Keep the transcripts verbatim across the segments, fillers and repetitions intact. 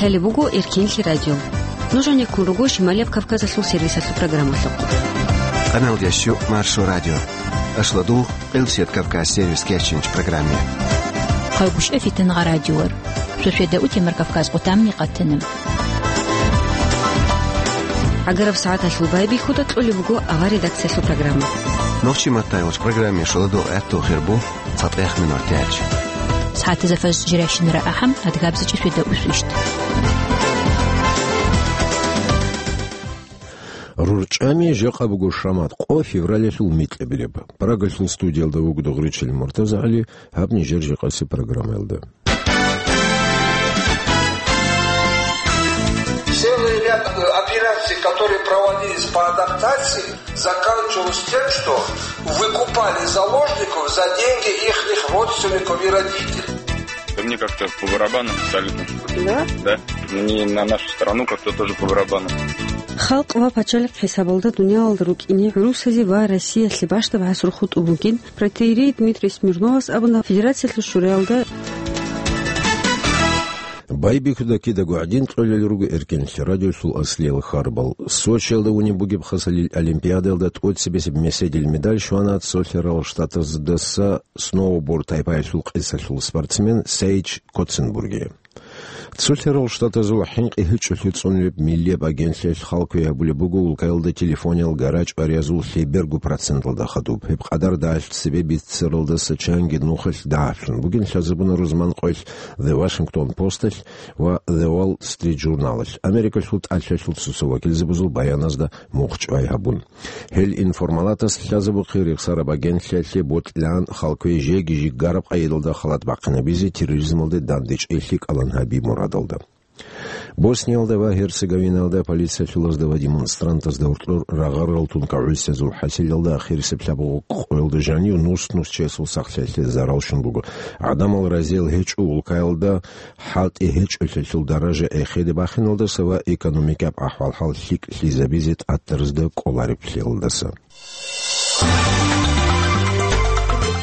Лъалеб буго Эркенлъи радио. Нуж гьанеккун руго Шималияб Кавказалъул сервисалъул программалъухъ. Къаналдиясчу Маршо радио. Ашладул, Къилсият Кавказ сервис кечинч программе. Хъалгушев Фитангъа радиор. Сосведа утемар Кавказ къутамни къатана. ГӀагараб сагӀаталъул байбихьуда кьолеб буго авар редакциялъул программа. Нохчи маттайгъуч программе шоладул гӀатту хирбу. ЦатӀех минор тяч. СагӀатазда фаз жиращинара ахӀам, адгабзачӀи светаусвищ. РурчӀами жакъа буго шамат къо февралалъул микьабилеб. Прагалъул студиялда вуго Дугъричил МуртазагӀали, гьаб нижер жакъаси программаялда. Целый ряд, э, операций, которые проводились по адаптации, заканчивалось тем, что выкупали заложников за деньги ихних родственников и родителей. Да мне как-то по барабану абсолютно. Да? Да. Мне на нашу страну как-то тоже по барабану. Халкъ ва пачалихъ хӀисабалда дуниялалда рукӀине гӀурусазе ва Россиялъе бащдаб гӀасру хутӀун бугин протоиерей Дмитрий Смирновас абуна Федерациялъул шураялда. Байбихьуда кидаго гӀадин кьолел руго Эркенлъи радиолъул аслиял харбал. Сочиялда унеб бугеб хасалил олимпиадаялда тӀоцебесеб меседил медаль щвана Цолъарал Штатаздаса сноуборд тайпаялъул къисалъул спортсмен Сейч Коценбургие. Цолъарал Штатазул хӀинкъи гьечӀолъи цӀунеб миллияб агентлъиялъ хал кквей гьабулеб буго улкаялда телефониял гарачӀ-бариязул лъеберго проценталда хадуб. Гьеб къадар далъ цебе бицаралдаса чанги нухалъ дагьаблъун бугин лъазабуна рузман къоялъ The Washington Post-алъ ва The Wall Street Journal-алъ, Америкалъул тӀалъалъул цоцо вакилзабазул баяназда мухъ чӀвай гьабун. Гьел информалатас лъазабухъе рехсараб агентлъиялъе бокьилаан хал кквей жеги жиггараб къайдалда халат бахъинабизе терроризмалде дандечӀейлъи кӀалан гьаби мурадалда. Босниялда ва Герцеговинаялда полициялъулазда ва демонстрантазда гьоркьор рагъарал тункагӀусиязул хӀасилалда ахирисеб лъабгъу къоялда жанив нус-нус чиясул сахлъиялъе зарал щун буго. ГӀадамал разиял гьечӀо улкаялда хӀалтӀи гьечӀолъиялъул даража эхеде бахиналдаса ва экономикаб ахӀвал-хӀал лъикӀлъизабизе тӀатаразда кӀолареблъиялдаса.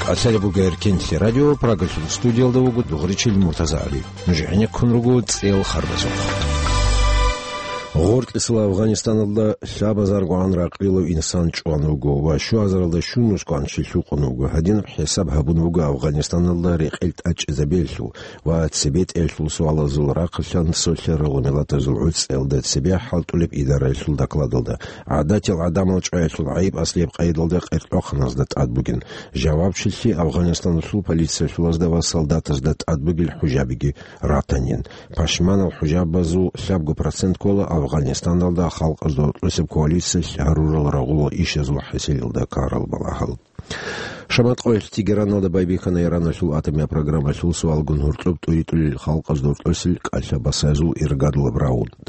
КӀалъалеб буго Эркенлъи радио, Прагалъул студиялда вуго Дугъричил МуртазагӀали. Нуж гӀенеккун руго цӀел харбазухъ. Гъоркьисала Афганистаналда лъабазаргогӀан ракълилав инсан чӀван вуго ва щуазаралда щунусгогӀан чи лъукъун вуго. Гьадинаб хӀисаб гьабун буго Афганистаналда рекъел тӀачӀизабиялъул ва цебетӀеялъул суалазул рахъалъан Цолъарал Миллатазул ГӀуцӀиялда цебе хӀалтӀулеб идараялъул докладалда. ГӀадатиял гӀадамал чӀваялъул гӀайиб аслияб къайдалда къеркьохъаназда тӀад бугин. Жавабчилъи Афганистаналъул полициялъулазда ва солдатазда тӀад бугел хӀужабиги ратанин. Пашманал хӀужабазул лъабго процент ккола Афганистаналда халкъазда гьоркьосеб коалициялъ гьарурал рагъулал ишазул хӀасилалда ккарал балагьал. Шамат къоялъ Тегераналда байбихьана Ираналъул атомиял программалъул суалгун гьоркьоб тӀуритӀулел халкъазда гьоркьосел кӀалъа басазул иргадулаб раунд.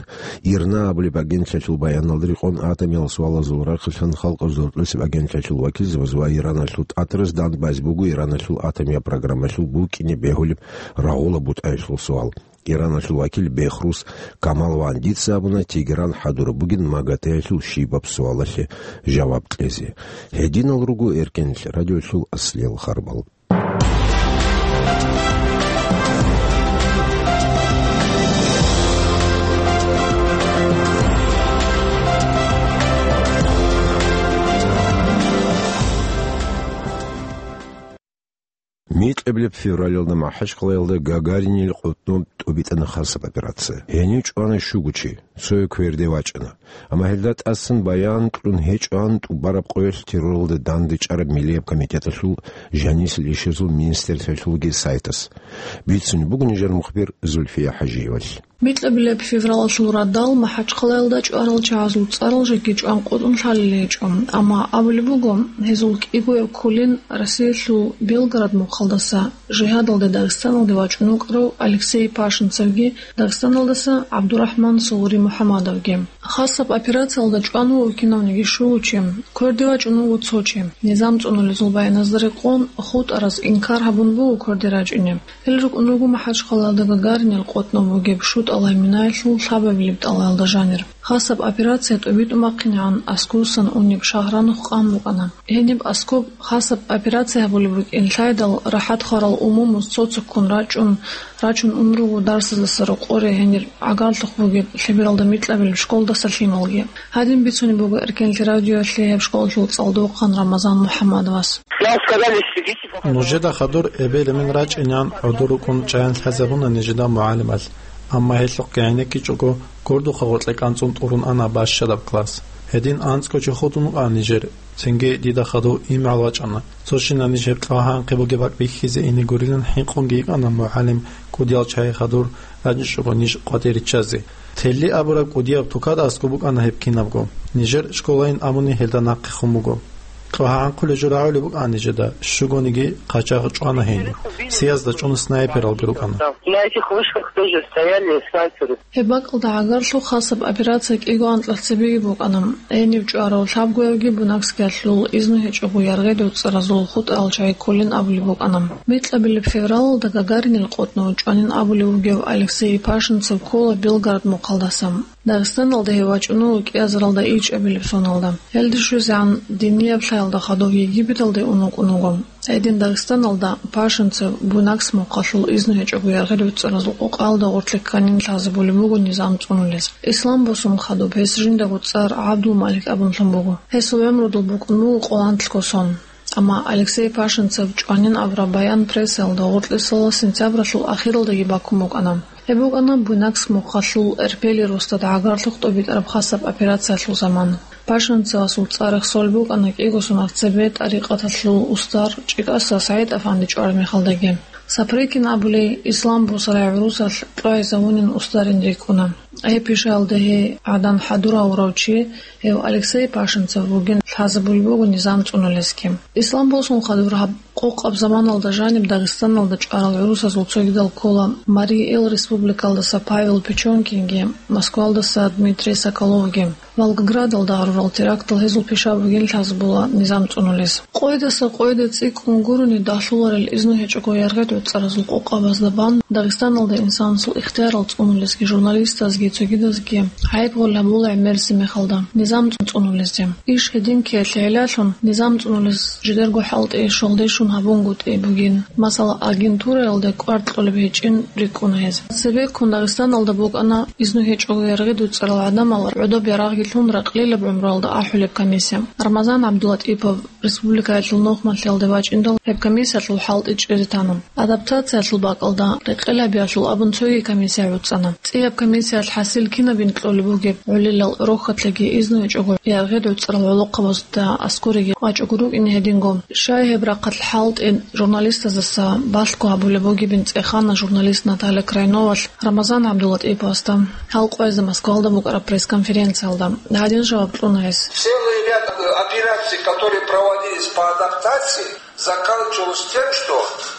ИРНА абулеб агентлъиялъул баяналда рекъон, атомиял суалазул рахъалъан халкъазда гьоркьосеб агентлъиялъул вакилзабаз ва Ираналъул тӀатараз дандбазе буго Ираналъул атомиял программалъул букӀине бегьулеб рагъулаб бутӀаялъул суал. Ираналъул вакил Бехрус Камалвандица абуна Тегеран хӀадураб бугин МАГАТЭ-ялъул щибаб суалалъе жаваб кьезе. Гьединал руго Эркенлъи радиолъул аслиял харбал. Микьабилеб февралалда МахӀачхъалаялда Гагаринил къотӀноб тӀубитӀана хасаб операция. Гьенив чӀвана щуго чи, цояв кверде вачӀана. Амма гьелда тӀасан баян кьун гьечӀоан тӀубараб къоялъ терроралда дандечӀараб Миллияб комитеталъул жанисел ишазул министерствоялъулги сайтас. Бицунеб буго нижер мухбир Зульфия ХӀажиевалъ. Микьабилеб февралалъул радал МахӀачхъалаялда чӀварал чагӀазул цӀарал жеги чӀван къотӀун лъалел гьечӀо, амма абулеб буго, гьезул кӀигояб кколин Россиялъул Белгород мухъалдаса жигьадалде Дагъистаналде вачӀун вукӀарав Алексей Пашинцевги Дагъистаналдаса ГӀабдурахӀман Сугъури МухӀамадовги. Хасаб операциялда чӀван вуго кинавниги щуго чи, кверде вачӀун вуго цо чи. Низам цӀунулезул баяназда рекъон, хутӀараз инкар гьабун буго кверде рачӀине. Гьел рукӀун руго МахӀачхъалаялда Гагаринил къотӀноб бугеб шутӀалай минаялъул лъабабилеб тӀалаялда жанир. Хасаб операция тӀубитӀун бахъинегӀан аскобусан унеб шагьар нух къан букӀана. Гьениб аскоб хасаб операция гьабулеб букӀин лъайдал, рахӀат хварал умумуз цо-цоккун рачӀун, рачун ун руго дарсаздаса рокъоре гьенир гӀагарлъухъ бугеб лъебералда микьабилеб школдаса лъималги. Гьадин бицунеб буго Эркенлъи радиоялъе гьеб школалъул цӀалдохъан Рамазан МухӀаммадовас. Нам сказали, сидите пока. Нужеда хадур эбел-эмен рачӀинегӀан гӀодор рукӀун чӀаян лъазабуна нижеда мугӀалимал. Амма гьелъухъги гӀенеккичӀого, гурдухъа гъоркье кӀанцӀун тӀурун ана бащадаб класс. Гьедин анцӀго чи хутӀун вукӀана нижер. Цинги дида хадув имгӀал вачӀана. Цо щинаб ниж гьеб кьвагьанхъе бугеб бакӀ бихьизе ине гурилан хӀинкъунги йикӀана мугӀалим кӀудиял чагӀи хадур рачӀичӀого ниж къватӀир риччазе. Телли абураб кӀудияб тукада аскӀоб букӀана гьеб кинабго. Нижер школайин абуни гьелда нахъехун буго. Кьвагьанхъулеб жо рагӀулеб букӀана нижеда, щугониги къачагъ чӀвана гьениб. Сиязда чӀун снайпералги рукӀана. На этих вышках тоже стояли снайперы. Гьеб бакӀалда гӀагарлъухъ хасаб операция кӀиго анкьа цебеги букӀана. Гьенив чӀварав лъабгоявги бунакскиялъул изну гьечӀого яргъи доцӀцӀаразул хутӀарал чагӀи кколин абулеб букӀана. Микьабилеб февралалда Гагаринил къотӀнов чӀванин абулев вугев Алексей Пашинцев ккола Белгород мухъалдаса. Дагъистаналда гьев вачӀуна кӀиазаралда ичӀабилеб соналда. Гьелде щвезегӀан динияб лъаялда хадув Египеталде ун вукӀун вуго. Гьедин Дагъистаналда Пашинцев бунакс мухъалъул изну гьечӀого яргъи доцӀцӀаразул къокъаялда гъоркье кканин лъазабулеб буго низам цӀунулез. Ислам босун хадуб гьес жиндаго цӀар ГӀабдулмалик абунлъун буго. Гьесул гӀумрудул букӀун буго къоланлъго сон. Амма Алексей Пашинцев чӀванин абураб баян прессаялда гъоркьисала сентябралъул ахиралдаги бакун букӀана. Гьеб букӀана бунакс мухъалъул Эрпели росдада гӀагарлъухъ тӀубитӀараб хасаб операциялъул заман. Пашинцевасул цӀар рехсолеб букӀана кӀиго соналъ цебе тӀарикъаталъул устар ЧӀикӀаса СагӀид-афанди чӀвараб мехалдаги. Сапрыкин абулей, Ислам босарай гӀурусалъ кьвагьизавунин устарин рикӀкӀуна. Гьеб пишаялда гьей гӀадан хӀадур гьавурав чи, гьев Алексей Пашинцев вугин лъазабулеб буго низам цӀунулезги. Ислам босун хадур гьаб къокъаб заманалда жаниб Дагъистаналда чӀварал гӀурусазул цогидал ккола Марий Эл Республикалдаса Павел Печенкинги, Москвалдаса Дмитрий Соколовги. Волгоградалда гьарурал терактал гьезул пишаб бугин лъазабула низам цӀунулез. Къойдаса къойде цӀикӀкӀун гурони дагьлъуларел изну гьечӀого яргъи доцӀцӀаразул къокъабазда бан Дагъистаналда инсанасул ихтиярал цӀунулезги журналистазги цогидазги гӀайиб-гъол гьабула гӀемерисеб мехалда низам цӀунулезде. Иш гьедин ккеялъе гӀиллалъун, низам цӀунулез жидерго хӀалтӀи щолдешун гьабунгутӀи бугин. Масала, агентураялде кӀвар кьолеб гьечӀин рикӀкӀуна гьез. Цебеккун Дагъистаналда букӀана изну гьечӀого яргъи доцӀцӀарал гӀадамал гӀодоб ярагъги лъун ракълилаб гӀумруялда ахӀулеб комиссия. Рамазан ГӀабдулатӀипов республикаялъул нухмалъиялде вачӀиндал гьеб комиссиялъул хӀалтӀи чӀезе тана. Адаптациялъул бакӀалда рекъелабиялъул абун цоги комиссия гӀуцӀана. ЦӀияб комиссиялъ хӀасил кинабин кьолеб бугеб гӀолилал рохьалъеги изну гьечӀого яргъи доцӀцӀарал гӀолохъабазда аскӀореги вачӀого рукӀине гьединго. Щай гьеб рахъалъ хӀалтӀи журналистаздаса балъго гьабулеб бугебин цӀехана журналист Наталья Крайновалъ Рамазан ГӀабдулатӀиповасда гьал къвезда Москвалда букӀараб пресс-конференциялда. Гьадин жаваб кьуна гьес. Целый ряд операций, которые проводились по адаптации, заканчивалось тем, что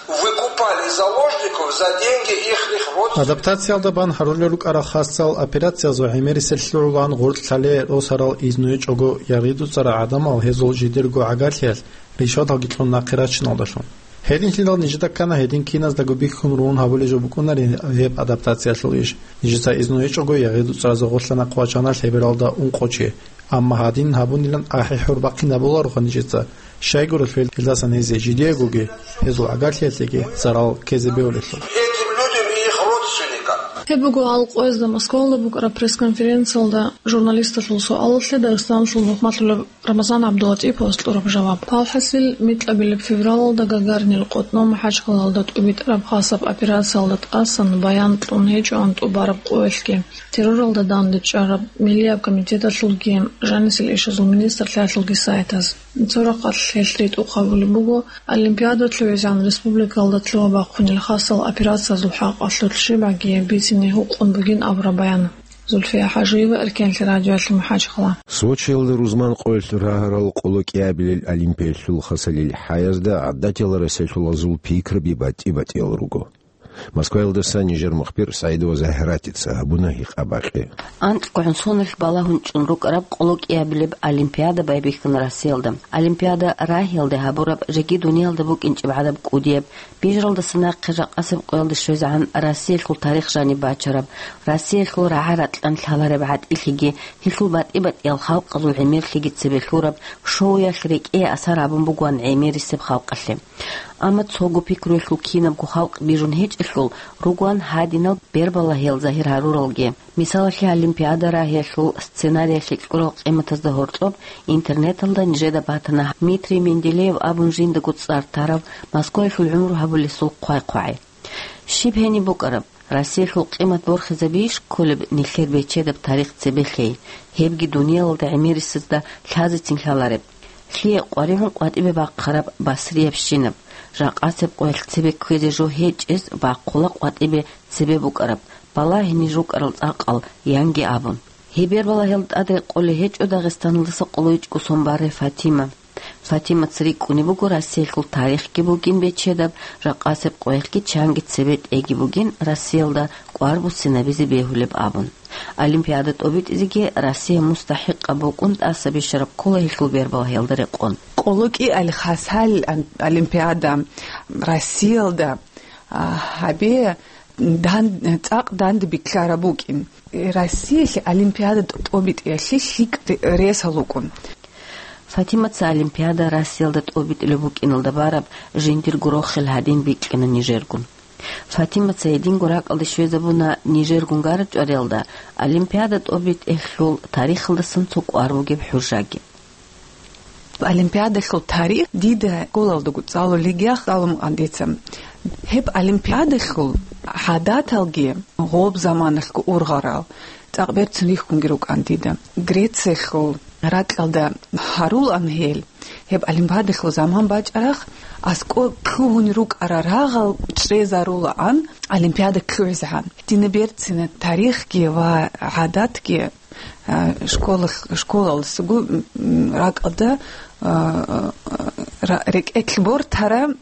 выкупали заложников за деньги ихних родственников. Адаптациялда бан гьарулел рукӀарал хасал операциязул гӀемерисел лъугӀулан гъоркь лъале росарал изну гьечӀого яргъи доцӀцӀарал гӀадамал гьезул жидерго гӀагарлъиялъ ришваталги кьун нахъе рачиналдалъун. Гьединлъидал нижеда ккана гьедин киназдаго бихьун ругьун гьабулеб жо букӀунари гьеб адаптациялъул иш. Нижеца изну гьечӀого яргъи доцӀцӀаразда гъорлъа нахъ вачана лъебералда ункъо чи. Амма гьадин гьабунилан ахӀи-хӀур бахъин гьабуларо нижеца. Щайгурелъул гьелдасан гьезие жидеягоги, гьезул гӀагарлъиялъеги зарал ккезе бегьулелъул. Этим людям и их родственникам. Гьеб буго гьал къвезда Москвалда букӀараб пресс-конференциялда журналисталъул суалалъе Дагъистаналъул нухмалъулеб Рамазан ГӀабдулатӀиповас кьураб жаваб. Палхасил, микьабилеб февралалда Гагаринил къотӀнов МахӀачхъалалда тӀубитӀараб хасаб операциялда тӀасан баян кьун гьечӀоан тӀубараб къоялъги, терроралда данде чӀараб Миллияб комитеталъулги, жанисел ишазул министрлъиялъулги сайтаз. Цо рахъалъ гьелъ ритӀухъ гьабулеб буго Олимпиада лъугӀизегӀан республикалда лъугьа-бахъунел хасал операциязул хӀакъалъулъ щибгӀаги бицине гьукъун бугин абураб баян. Зульфия ХӀажиева, Эркенлъи радиоялъ, МахӀачхъала. Сочиялда рузман къоялъ рагьарал къоло кӀиабилел Олимпиялъул хасалил хӀаязда гӀадатиял расилъулазул пикраби батӀи-батӀиял руго. Москваялдаса нижер мухбир СагӀидова Загьиратица гьабуна гьикъа-бакъи. АнцӀгогӀун соналъ балагьун чӀун рукӀараб къоло кӀиабилеб олимпиада байбихьана Россиялда. Олимпиада рагьиялде гьабураб жеги дуниялда букӀинчӀеб гӀадаб кӀудияб, бижаралдаса нахъе жакъасеб къоялде щвезегӀан Россиялъул тарих жаниб бачараб, Россиялъул рагӀа-ракьан лъалареб гӀатӀилъиги, гьелъул батӀи-батӀиял халкъазул гӀемерлъиги цебе лъураб шоуялъ рекӀее асар гьабун бугоан гӀемерисеб халкъалъе. Амма цого пикруялъул кинабго халкъ бижун гьечӀелъул ругоан гьадинал бербалагьиял загьир гьаруралги. Мисалалъе, олимпиада рагьиялъул сценариялъе кьурал къиматазда гьоркьоб интернеталда нижеда батана Дмитрий Менделеев абун жиндаго цӀар тарав Москваялъул гӀумру гьабулесул хъвай-хъвагӀи. Щиб гьениб букӀараб? Россиялъул къимат борхизабийищ кколеб нилъер бечедаб тарих цебе лъей, гьебги дуниялалда гӀемерисезда лъазецин лъалареб? Лъие къваригӀун къватӀибе бахъараб басриябщинаб, жакъасеб къоялъ цебе кквезе жо гьечӀез бахъула къватӀибе цебе букӀараб, балагьине жукӀарал цӀакъал, янги абун. Гьеб бербалагьиялда тӀад рекъолей гьечӀо Дагъистаналдаса къоло ичӀго сон барай Фатима. Фатимаца рикӀкӀунеб буго Россиялъул тарихги бугин бечедаб, жакъасеб къоялъги чанги цебе тӀеги бугин Россиялда кӀвар буссинабизе бегьулеб абун. Олимпиада тӀобитӀизеги Россия мустахӀикъаб букӀун тӀаса бищараб ккола гьелъул бербалагьиялда рекъон. Къоло кӀиабилеб олимпиада Россиялда, а, гьабе дан-, цӀакъ данде бикьараб букӀин. Россиялъе олимпиада тӀобитӀиялъе лъикӀ ре-, ресал рукӀун. Фатимаца олимпиада Россиялда тӀобитӀулеб букӀиналда бараб жиндирго рохел гьадин бикьана нижергун. Фатимаца гьединго ракӀалде щвезабуна нижергун гарачӀвариялда олимпиада тӀобитӀиялъул тарихалдасан цо кӀвар бугеб хӀужаги. Олимпиадалъул тарих дида школалдаго цӀалулеб гьалун дица. Гьеб олимпиадалъул гӀадаталги гъоб заманалъго ургъарал цӀакъ берцин рихьунги рукӀан дида. Грециялъул ракьалда гьарулаан гьел, гьеб олимпиадалъул заман бачӀарахъ аскӀоб лъугьун рукӀарал рагъал чӀезарулаан олимпиада лъугӀизегӀан. Дина берцина тарихги ва гӀадатги а, школа, школалдасаго, м, ракӀалда, а, ра-, рекӀелъ бортара, м,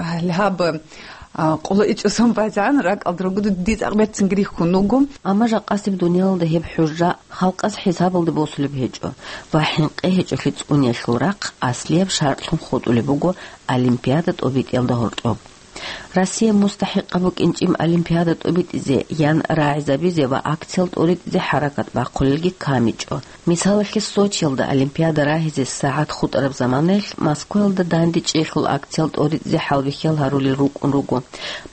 гьале гьаб, а, къоло ичӀго сон базегӀан ракӀалда ругода дие цӀакъ берцинги рихьун вуго. Амма жакъасеб дуниялалда гьеб хӀужа халкъас хӀисабалде босулеб гьечӀо ва хӀинкъи гьечӀолъи цӀуниялъул рахъ аслияб шартӀлъун хутӀулеб буго олимпиада тӀобитӀиялда гьоркьоб. Россия мустахӀикъаб букӀинчӀеб олимпиада тӀобитӀизе, ян рагӀизабизе ва акциял тӀоритӀизе хӀаракат бахъулелги камичӀо. Мисалалъе, Сочиялда олимпиада рагьизе сагӀат хутӀараб заманаялъ Москваялда дандечӀейилъул акциял тӀоритӀизе хӀалбихьиял гьарулел рукӀун руго.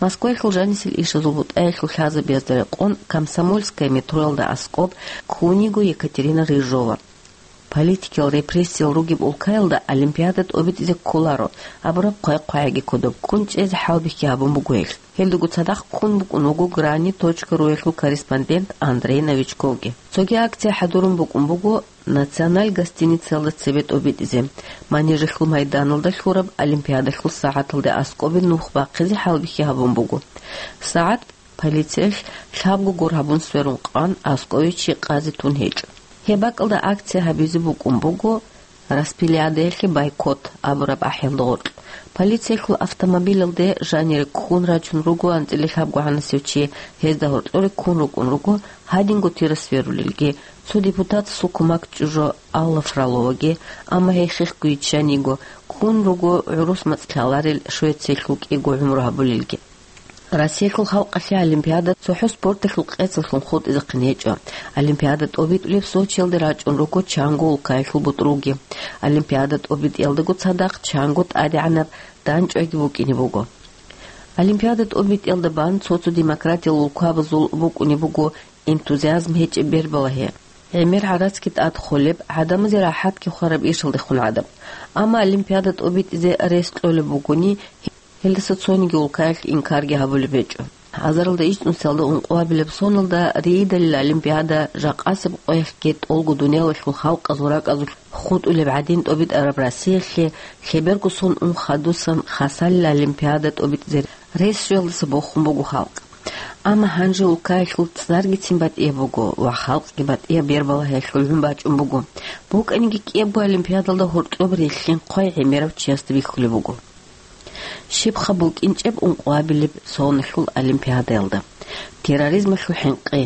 Москваялъул жанисел ишазул бутӀаялъул лъазабазда рекъон Комсомольское метроялда аскӀоб ккун йиго Екатерина Рыжова. Политикиял репрессиял ругеб улкаялда олимпиада тӀобитӀизе кколаро абураб хъвай-хъвагӀиги кодоб ккун чӀезе хӀалбихьи гьабун буго гьелъ. Гьелдаго цадахъ ккун букӀун вуго грани точка руялъул корреспондент Андрей Новичковги. Цоги акция хӀадурун букӀун буго Националь гостиницаялда цебе тӀобитӀизе, Манежалъул майданалда лъураб олимпиадалъул сагӀаталде аскӀобе нух бахъизе хӀалбихьи гьабун буго. СагӀат Полициялъ лъабго гор гьабун сверун къан, аскӀове чи къазе тун гьечӀо. Гьеб бакӀалда акция гьабизе букӀун буго «Распилядаялъе бойкот» абураб ахӀиялда гъоркь. Полициялъул автомобилалде жанире ккун рачун руго анцӀила лъабгогӀанасев чи, гьезда гьоркьоре ккун рукӀун руго гьадинго тира сверулелги, цо депутатасул кумек чӀужу Алла Фроловаги, амма гьей хехго йиччан йиго, ккун руго гӀурус мацӀ лъаларел Швециялъул кӀиго гӀумру гьабулелги. Россиялъул халкъалъе олимпиада цохӀо спорталъул къецаллъун хутӀизехъин гьечӀо. Олимпиада тӀобитӀулеб Сочиялде рачӀун руго чанго улкаялъул бутӀрулги. Олимпиада тӀобитӀиялдаго цадахъ чанго тӀадегӀанаб данчӀвайги букӀине буго. Олимпиада тӀобитӀиялда бан цо-цо демократиял улкабазул букӀуне буго энтузиазм гьечӀеб бербалагьи. ГӀемер гӀарацги тӀад холеб, гӀадамазе рахӀатги хвараб ишалдехун гӀадаб. Амма олимпиада тӀобитӀизе рес кьолеб бугони, гьелдаса цониги улкаялъ инкарги гьабулеб гьечӀо. Гьазаралда ичӀнусиялда ункъоабилеб соналда Риидалил олимпиада жакъасеб къоялъги тӀолго дуниялалъул халкъазул ракӀазулъ хутӀулеб гӀадин тӀобитӀараб Россиялъе лъеберго сон ун хадусан Хасалил олимпиада тӀобитӀизе рес щвелдаса бохун буго халкъ. Амма гьанже улкаялъул цӀаргицин батӀияб буго ва халкъги батӀияб бербалагьиялъул гӀун бачӀун буго. БукӀаниги кӀиябго олимпиадалда гьоркьоб релълъин хъвай гӀемерав чиясда бихьулеб буго. Щибха букӀинчӀеб ункъоабилеб соналъул олимпиадаялда? Терроризмалъул хӀинкъи.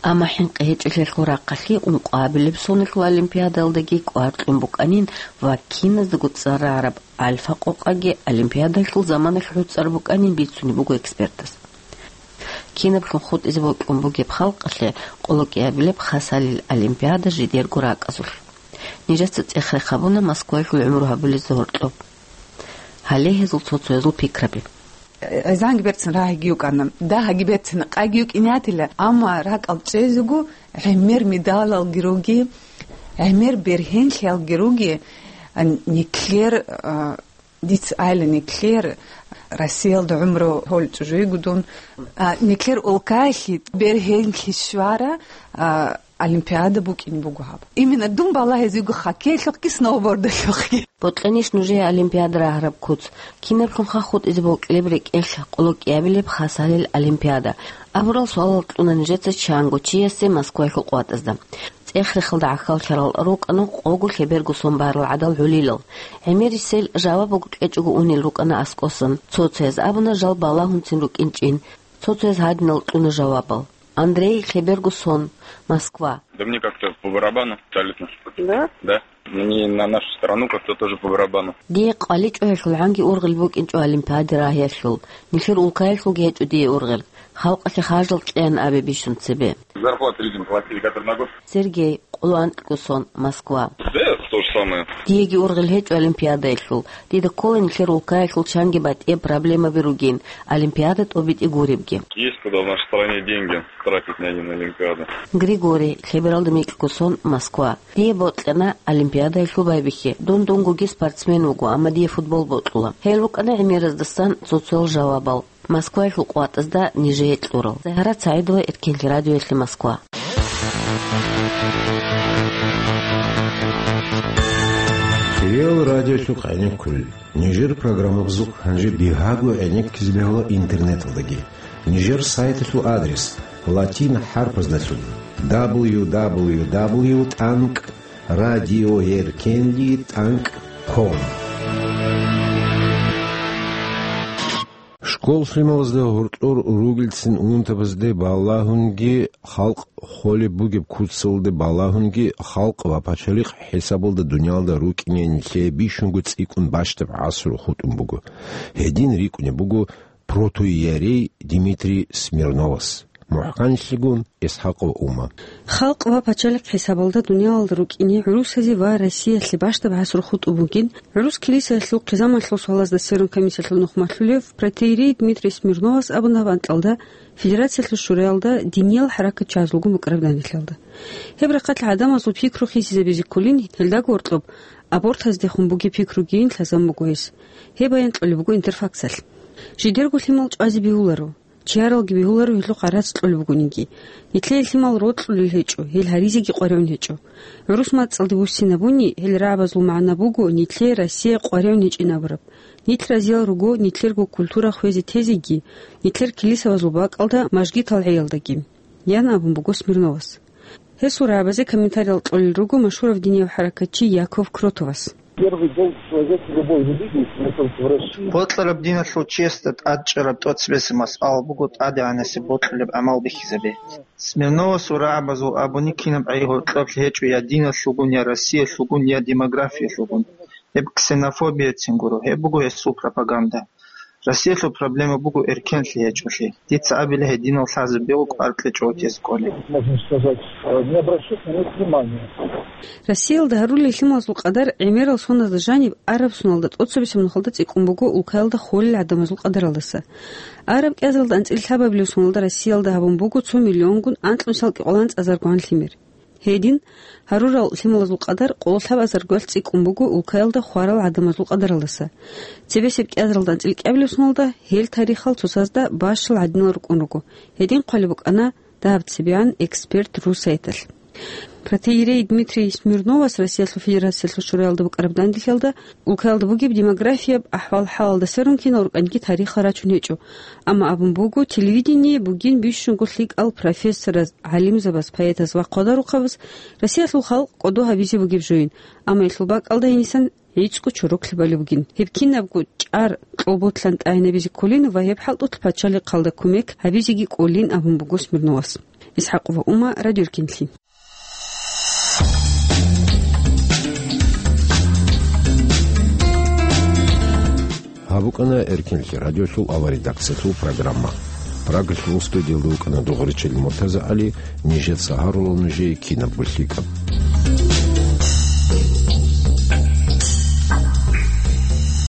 Амма хӀинкъи гьечӀолъиялъул рахъалъи ункъоабилеб соналъул олимпиадаялдаги кӀвар кьун букӀанин ва киназдаго цӀар рагӀараб альфа-къокъаги олимпиадалъул заманалъ гӀуцӀар букӀанин бицунеб буго экспертаз. Кинаблъун хутӀизе бокьун бугеб халкъалъе къолокӀиабилеб хасалил олимпиада жидерго ракӀазулъ. Нижеца цӀех-рех гьабуна Москваялъул гӀумру гьабулезда гьоркьоб. Гьале гьезул цо-цоязул пикраби. ГӀезанги берцин рагьиги йукӀана. Дагьаги берцин къайги йукӀине гьатила, амма ракӀал чӀезего гӀемер медалалги руги, гӀемер бергьенлъиялги руги, а, нилъер, а, дица айла нилъер Россиялда гӀумру гьолчӀужуйгу дун, а, нилъер улкаялъе бергьенлъи щвара, а, олимпиада букӀине буго гьаб. Именно дун балагьизего хоккейлъухъги, сноубордалъухъги. Бокьанищ нужее олимпиада рагьараб куц? Кинаблъунха хутӀизе бокьилеб рекӀелъ къолокӀиабилеб хасалил олимпиада? Абурал суалал кьуна нижеца чанго чиясе Москваялъул къватӀазда. ЦӀех-рехалда гӀахьаллъарал рукӀана къого лъеберго сон барал гӀадал гӀолилал. ГӀемерисел жаваб буго кьечӀого унел рукӀана аскӀосан. Цо-цояз абуна жал балагьунцин рукӀинчӀин. Цо-цояз гьадинал кьуна жавабал. Андрей, лъеберго сон, Москва. Да мне как-то по барабану абсолютно. Да? Да. Мне на нашу страну как-то тоже по барабану. Дие къваличӀоялъул гӀанги ургъел букӀинчӀо олимпиаде рагьиялъул. Нилъер улкаялъулги гьечӀо дие ургъел. Халкъалъе харжал кьеян абе бищун цебе. Зарплату людям платили, которые на год. Сергей, къоло анкьго сон, Москва. Да, то же самое. Диеги ургъел гьечӀо олимпиадаялъул. Дида ккола нилъер улкаялъул чанги батӀияб проблемаби ругин, олимпиада тӀобитӀи гуребги. Есть куда в нашей стране деньги тратить на один олимпиаду. Григорий, лъебералда микьго сон, Москва. Дие бокьана олимпиадаялъул байбихьи. Дун дунгоги спортсмен вуго, амма дие футбол бокьула. Гьел рукӀана гӀемераздасан цо-цоял жавабал. Москваялъул къватӀазда нижее кьурал. Загьарат СагӀидова, Эркенлъи радиоялъе, Москва. Реал радиолъухъ гӀенеккулел. Нижер программабазухъ гьанже бигьаго гӀенеккизе бегьула интернеталдаги. Нижер сайталъул адрес: латин хӀарпаздалъун: дабл ю дабл ю дабл ю тӀанкӀ радиоэркенли тӀанкӀ ком. Школ лъималазда гьоркьор ругелцин унтабазде балагьунги, халкъ холеб бугеб куцалде балагьунги, халкъ ва пачалихъ хӀисабалда дуниялда рукӀине нилъее бищунго цӀикӀкӀун бащдаб гӀасру хутӀун буго. Гьедин рикӀкӀунеб буго протоиерей Димитрий Смирновас. МухӀканлъигун Исхакъов Ума. Халкъ ва пачалихъ хӀисабалда дуниялалда рукӀине гӀурусазе ва Россиялъе бащдаб гӀасру хутӀун бугин, гӀурус килисаялъул хъизамалъул суалазда сверун комиссиялъул нухмалъулев протоиерей Дмитрий Смирновас абуна гьаб анкьалда Федерациялъул шураялда диниял хӀаракатчи гӀазулгун букӀараб данделъалда. Гьеб рахъалъ гӀадамазул пикру хисизабизе кколин, гьелдаго гьоркьоб абортаздехун бугеб пикругийин лъазан буго гьес. Гьеб баян кьолеб буго Интерфаксалъ. Жидерго лъимал чӀвазе бегьуларо. Чияралги бегьуларо гьелъухъ гӀарац кьолеб бугониги. Нилъее лъимал рокьулел гьечӀо, гьел гьаризеги къваригӀун гьечӀо. ГӀурус мацӀалде буссинабуни, гьел рагӀабазул магӀна буго нилъее Россия къваригӀун гьечӀин абураб. Нилъ разиял руго нилъерго культура хвезе тезеги, нилъер килисабазул бакӀалда мажгитал гӀеялдаги, ян абун буго Смирновас. Гьесул рагӀабазе комментариял кьолел руго машгьурав динияв хӀаракатчи Яков Кротовас. Первый долг человека любой религии, если мы только в России. Бокьараб диналъул чиясда тӀадчӀараб тӀоцебесеб масъала буго тӀадегӀанасеб бокьулеб гӀамал бихьизабе. Смирновасул рагӀабазул абуни кинаб гӀей гьоркьоблъи гьечӀо я диналъулгун, я Россиялъулгун, я демографиялъулгун. Гьеб ксенофобияцин гуро, гьеб буго гьесул пропаганда. Россиялъул проблема буго эркенлъи гьечӀолъи. Дица абила гьединал лъазабигъу кӀвар кьечӀого тез кӀолеб. Можно сказать, э, не обращать на них внимания. Россиялда гьарулел лъималазул къадар гӀемерал соналда жаниб араб соналда тӀоцебесеб нухалда цӀикӀкӀун буго улкаялда холел гӀадамазул къадаралдаса. Араб кӀиазаралда анцӀила лъабабилеб соналда Россиялда гьабун буго цо миллионгун анкьнусиялда кӀикъоялда анцӀазаргогӀан лъимер. Гьедин, гьарурал лъималазул къадар къоло лъабазаргоялъ цӀикӀкӀун буго улкаялда хварал гӀадамазул къадаралдаса. Цебесеб кӀиазаралда анцӀила кӀиабилеб соналда гьел тарихал цоцазда бащал гӀадинал рукӀун руго. Гьедин хъвалеб букӀана дагьаб цебегӀан эксперт ру сайталъ. Протоиерей Дмитрий Смирновас Россиялъул Федерациялъул Шураялда букӀараб данделъиялда, улкаялда бугеб демографияб ахӀвал-хӀалалда сверун кинал рукӀаниги тарихал рачун гьечӀо. Амма абун буго, телевидение бугин бищунго лъикӀал профессораз, гӀалимзабаз, поэтаз ва хъвадарухъабаз Россиялъул халкъ кӀодо гьабизе бугеб жойин, амма гьелъул бакӀалда гьенисан гӀицӀго чороклъи балеб бугин. Гьеб кинабго чӀар кьолболъан тӀагӀинабизе кколин ва гьеб хӀалтӀулъ пачалихъалда кумек гьабизеги кӀолин абун буго Смирновас. ИсхӀакъова Ума, Радио Эркинлъи. Гьаб букӀана Эркинлъи радиолъул аварредакциялъул программа. Прагалъул студиялда вукӀана Дугъричил МуртазагӀали, нижеца гьарула нужее кинабго лъикӀаб.